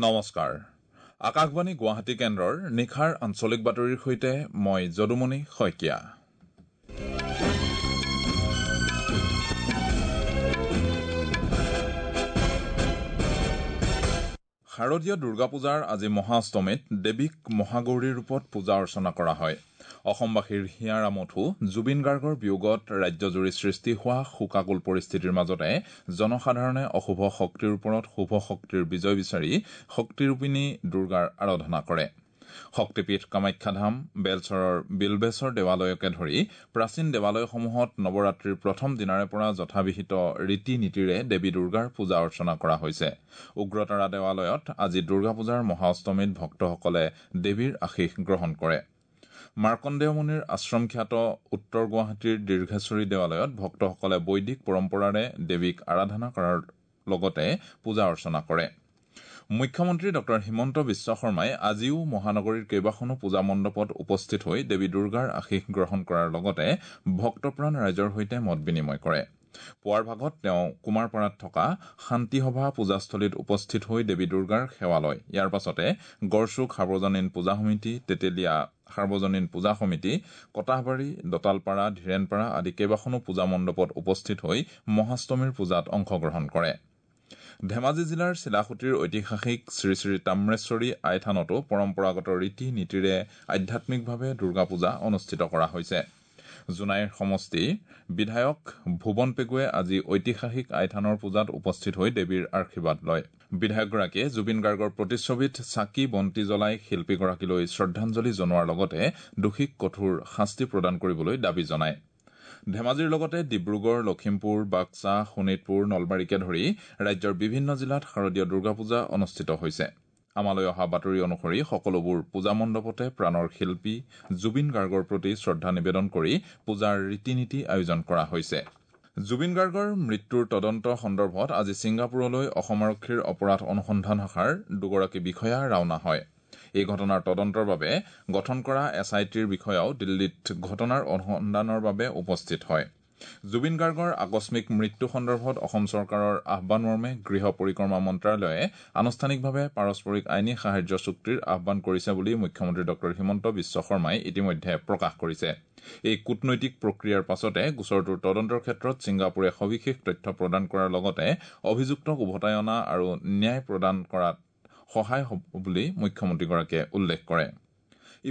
নমস্কাৰ, আকাশবাণী গুৱাহাটী কেন্দ্ৰৰ নিশাৰ আঞ্চলিক বাতৰিৰ সৈতে মই যদুমণি শইকীয়া। শাৰদীয় দুৰ্গা পূজাৰ আজি মহাঅষ্টমীত দেৱীক মহাগৌৰীৰ ৰূপত পূজা অৰ্চনা কৰা হয়। অসমবাসীৰ হিয়াৰ আমঠু জুবিন গাৰ্গৰ বিয়োগত ৰাজ্যজুৰি সৃষ্টি হোৱা শোকাকুল পৰিস্থিতিৰ মাজতে জনসাধাৰণে অশুভ শক্তিৰ ওপৰত শুভ শক্তিৰ বিজয় বিচাৰি শক্তিৰূপিণী দুৰ্গাৰ আৰাধনা কৰে। শক্তিপীঠ কামাখ্যাধাম, বেলচৰৰ বিলবেশ্বৰ দেৱালয়কে ধৰি প্ৰাচীন দেৱালয়সমূহত নৱৰাত্ৰিৰ প্ৰথম দিনাৰে পৰা যথাবিহিত ৰীতি নীতিৰে দেৱী দুৰ্গাৰ পূজা অৰ্চনা কৰা হৈছে। উগ্ৰতাৰা দেৱালয়ত আজি দুৰ্গা পূজাৰ মহাঅষ্টমীত ভক্তসকলে দেৱীৰ আশীষ গ্ৰহণ কৰে। মাৰ্কণ্ডেয় মুনিৰ আশ্ৰম খ্যাত উত্তৰ গুৱাহাটীৰ দীৰ্ঘেশ্বৰী দেৱালয়ত ভক্তসকলে বৈদিক পৰম্পৰাৰে দেৱীক আৰাধনা কৰাৰ লগতে পূজা অৰ্চনা কৰে। মুখ্যমন্ত্ৰী ডঃ হিমন্ত বিশ্ব শৰ্মাই আজিও মহানগৰীৰ কেইবাখনো পূজা মণ্ডপত উপস্থিত হৈ দেৱী দুৰ্গাৰ আশীষ গ্ৰহণ কৰাৰ লগতে ভক্তপ্ৰাণ ৰাইজৰ সৈতে মত বিনিময় কৰে। পুৱাৰ ভাগত তেওঁ কুমাৰপাৰাত থকা শান্তিসভা পূজাস্থলীত উপস্থিত হৈ দেৱী দুৰ্গাৰ সেৱা লয়। ইয়াৰ পাছতে গড়চুক সাৰ্বজনীন পূজা সমিতি, তেতেলীয়া সাৰ্বজনীন পূজা সমিতি, কটাহবাৰী, দতালপাৰা, ধীৰেণপাৰা আদি কেইবাখনো পূজা মণ্ডপত উপস্থিত হৈ মহাষ্টমীৰ পূজাত অংশগ্ৰহণ কৰে। ধেমাজি জিলাৰ চিলাসুঁতিৰ ঐতিহাসিক শ্ৰী শ্ৰী তাম্ৰেশ্বৰী আইথানতো পৰম্পৰাগত ৰীতি নীতিৰে আধ্যাত্মিকভাৱে দুৰ্গা পূজা অনুষ্ঠিত কৰা হৈছে। জোনাইৰ সমষ্টিৰ বিধায়ক ভুৱন পেগুৱে আজি ঐতিহাসিক আইথানৰ পূজাত উপস্থিত হৈ দেৱীৰ আশীৰ্বাদ লয়। বিধায়কগৰাকীয়ে জুবিন গাৰ্গৰ প্ৰতিচ্ছবিত চাকি বন্তি জ্বলাই শিল্পীগৰাকীলৈ শ্ৰদ্ধাঞ্জলি জনোৱাৰ লগতে দোষীক কঠোৰ শাস্তি প্ৰদান কৰিবলৈ দাবী জনায়। ধেমাজিৰ লগতে ডিব্ৰুগড়, লখিমপুৰ, বাক্সা, শোণিতপুৰ, নলবাৰীকে ধৰি ৰাজ্যৰ বিভিন্ন জিলাত শাৰদীয় দুৰ্গা পূজা অনুষ্ঠিত হৈছে। আমালৈ অহা বাতৰি অনুসৰি সকলোবোৰ পূজা মণ্ডপতে প্ৰাণৰ শিল্পী জুবিন গাৰ্গৰ প্ৰতি শ্ৰদ্ধা নিবেদন কৰি পূজাৰ ৰীতি নীতি আয়োজন কৰা হৈছে। জুবিন গাৰ্গৰ মৃত্যুৰ তদন্ত সন্দৰ্ভত আজি ছিংগাপুৰলৈ অসম আৰক্ষীৰ অপৰাধ অনুসন্ধান শাখাৰ দুগৰাকী বিষয়া ৰাওনা হয়। এই ঘটনাৰ তদন্তৰ বাবে গঠন কৰা এছ I টিৰ বিষয়াও দিল্লীত ঘটনাৰ অনুসন্ধানৰ বাবে উপস্থিত হয়। জুবিন গাৰ্গৰ আকস্মিক মৃত্যু সন্দৰ্ভত অসম চৰকাৰৰ আহ্বানমৰ্মে গৃহ পৰিক্ৰমা মন্ত্ৰালয়ে আনুষ্ঠানিকভাৱে পাৰস্পৰিক আইনী সাহায্য চুক্তিৰ আহ্বান কৰিছে বুলি মুখ্যমন্ত্ৰী ডঃ হিমন্ত বিশ্ব শৰ্মাই ইতিমধ্যে প্ৰকাশ কৰিছে। এই কূটনৈতিক প্ৰক্ৰিয়াৰ পাছতে গোচৰটোৰ তদন্তৰ ক্ষেত্ৰত ছিংগাপুৰে সবিশেষ তথ্য প্ৰদান কৰাৰ লগতে অভিযুক্তক উভতাই অনা আৰু ন্যায় প্ৰদান কৰাত সহায় হ'ব বুলি মুখ্যমন্ত্ৰীগৰাকীয়ে উল্লেখ কৰে।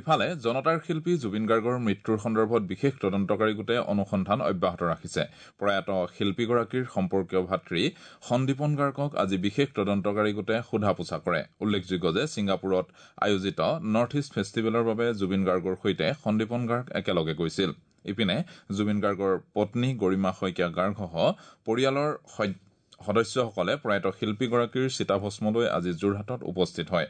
ইফালে জনতাৰ শিল্পী জুবিন গাৰ্গৰ মৃত্যুৰ সন্দৰ্ভত বিশেষ তদন্তকাৰী গোটে অনুসন্ধান অব্যাহত ৰাখিছে। প্ৰয়াত শিল্পীগৰাকীৰ সম্পৰ্কীয় ভাতৃ সন্দীপন গাৰ্গক আজি বিশেষ তদন্তকাৰী গোটে সোধা পোছা কৰে। উল্লেখযোগ্য যে ছিংগাপুৰত আয়োজিত নৰ্থ ইষ্ট ফেষ্টিভেলৰ বাবে জুবিন গাৰ্গৰ সৈতে সন্দীপন গাৰ্গ একেলগে গৈছিল। ইপিনে জুবিন গাৰ্গৰ পত্নী গৰিমা শইকীয়া গাৰ্গসহ পৰিয়ালৰ সদস্যসকলে প্ৰয়াত শিল্পীগৰাকীৰ চিতাভস্মলৈ আজি যোৰহাটত উপস্থিত হয়।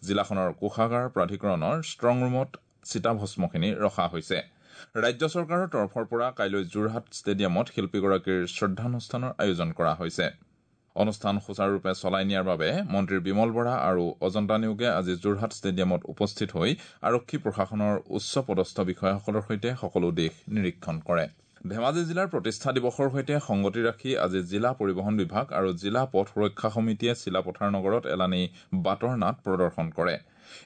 জিলাখনৰ কোষাগাৰ প্ৰাধিকৰণৰ ষ্ট্ৰং ৰুমত চিতাভস্মখিনি ৰখা হৈছে। ৰাজ্য চৰকাৰৰ তৰফৰ পৰা কাইলৈ যোৰহাট ষ্টেডিয়ামত শিল্পীগৰাকীৰ শ্ৰদ্ধানুষ্ঠানৰ আয়োজন কৰা হৈছে। অনুষ্ঠান সুচাৰুৰূপে চলাই নিয়াৰ বাবে মন্ত্ৰী বিমল বৰা আৰু অজন্তা নেওগে আজি যোৰহাট ষ্টেডিয়ামত উপস্থিত হৈ আৰক্ষী প্ৰশাসনৰ উচ্চ পদস্থ বিষয়াসকলৰ সৈতে সকলো দিশ নিৰীক্ষণ কৰে। ধেমাজি জিলাৰ প্ৰতিষ্ঠা দিৱসৰ সৈতে সংগতি ৰাখি আজি জিলা পৰিবহণ বিভাগ আৰু জিলা পথ সুৰক্ষা সমিতিয়ে চিলাপথাৰ নগৰত এলানি বাটৰ নাট প্ৰদৰ্শন কৰে।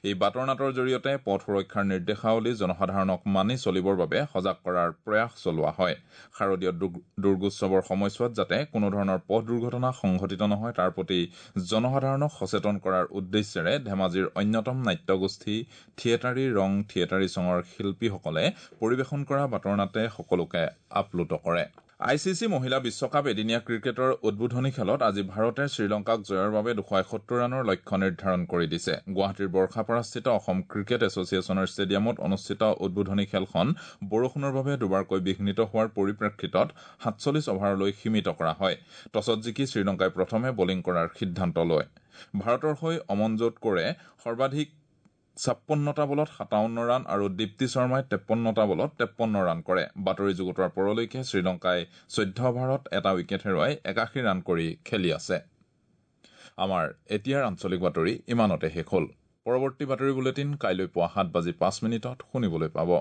এই বাটৰ নাটৰ জৰিয়তে পথ সুৰক্ষাৰ নিৰ্দেশাৱলী জনসাধাৰণক মানি চলিবৰ বাবে সজাগ কৰাৰ প্ৰয়াস চলোৱা হয়। শাৰদীয় দুৰ্গোৎসৱৰ সময়ছোৱাত যাতে কোনোধৰণৰ পথ দুৰ্ঘটনা সংঘটিত নহয় তাৰ প্ৰতি জনসাধাৰণক সচেতন কৰাৰ উদ্দেশ্যেৰে ধেমাজিৰ অন্যতম নাট্যগোষ্ঠী থিয়েটাৰী ৰং থিয়েটাৰী চঙৰ শিল্পীসকলে পৰিৱেশন কৰা বাটৰ নাটে সকলোকে আপ্লুত কৰে। I C C মহিলা বিশ্বকাপ এদিনীয়া ক্ৰিকেটৰ উদ্বোধনী খেলত আজি ভাৰতে শ্ৰীলংকাক জয়ৰ বাবে 271 ৰানৰ লক্ষ্য নিৰ্ধাৰণ কৰি দিছে। গুৱাহাটীৰ বৰ্ষাপাৰাস্থিত অসম ক্ৰিকেট এছ'চিয়েশ্যনৰ ষ্টেডিয়ামত অনুষ্ঠিত উদ্বোধনী খেলখন বৰষুণৰ বাবে দুবাৰকৈ বিঘ্নিত হোৱাৰ পৰিপ্ৰেক্ষিতত 47 অভাৰলৈ সীমিত কৰা হয়। টছত জিকি শ্ৰীলংকাই প্ৰথমে বলিং কৰাৰ সিদ্ধান্ত লয়। ভাৰতৰ হৈ অমনজোত কৌৰে সৰ্বাধিক 56টা বলত 57 ৰান আৰু দীপ্তি শৰ্মাই 53টা বলত 53 ৰান কৰে। বাতৰি যুগুতোৱাৰ পৰলৈকে শ্ৰীলংকাই 14 অভাৰত এটা উইকেট হেৰুৱাই 81 ৰান কৰি খেলি আছে। আমাৰ এতিয়াৰ আঞ্চলিক বাতৰি ইমানতে শেষ হ'ল। পৰৱৰ্তী বাতৰি বুলেটিন কাইলৈ পুৱা 7:05 শুনিবলৈ পাব।